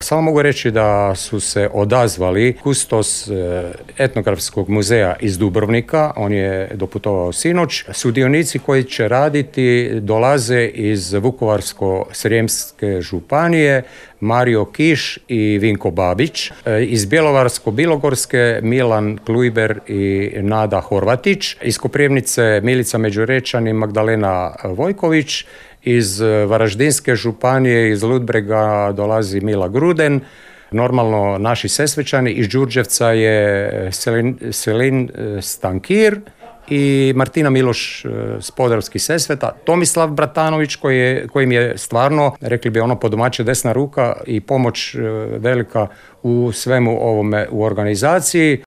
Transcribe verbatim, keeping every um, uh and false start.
Samo mogu reći da su se odazvali kustos etnografskog muzeja iz Dubrovnika, on je doputovao sinoć. Sudionici koji će raditi dolaze iz Vukovarsko-srijemske županije, Mario Kiš i Vinko Babić, iz Bjelovarsko-bilogorske Milan Klujber i Nada Horvatić, iz Koprivnice Milica Međurečan i Magdalena Vojković, iz Varaždinske županije, iz Ludbrega dolazi Mila Gruden, normalno naši Sesvečani, iz Đurđevca je Selin, Selin Stankir i Martina Miloš s Podravskih Sesveta, Tomislav Bratanović koji je, kojim je stvarno, rekli bi ono po domaće, desna ruka i pomoć velika u svemu ovome u organizaciji.